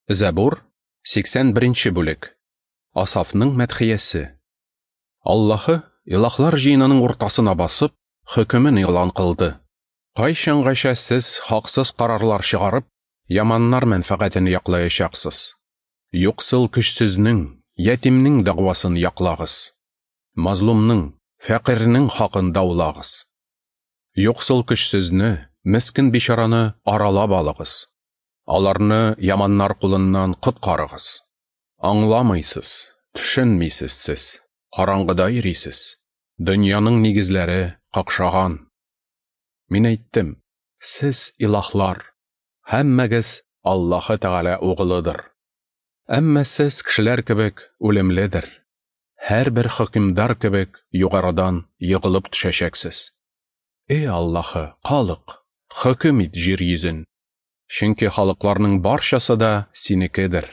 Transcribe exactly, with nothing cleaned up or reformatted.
Зәбур, сиксән беренче бүлек. Асафның мәдхиясе. Аллаһы илаһлар җыенының уртасына басып, хөкемен игълан кылды. Кайчангача сез хаксыз карарлар чыгарып, яманнар мәнфәгатен яклаячаксыз? Юксыл көчсезнең, ятимнең дәгъвасын яклагыз. Мазлумның, фәкыйрьнең хакын даулагыз. Юксыл көчсезне, мескен бичараны аралап алыгыз. Аларны яманнар кулыннан коткарыгыз. Аңламыйсыз, төшенмисез сез, караңгыда йөрисез. Дөньяның нигезләре какшаган. Мин әйттем, сез илаһлар, һәммәгез Аллаһы Тәгалә угылыдыр. Әмма сез кешеләр кебек үлемледер. Һәрбер хөкемдар кебек югарыдан егылып төшәчәксез. Эй Аллаһы, халык, хөкем ит җир йөзен. Чөнки халыкларның барчасы да синекедер.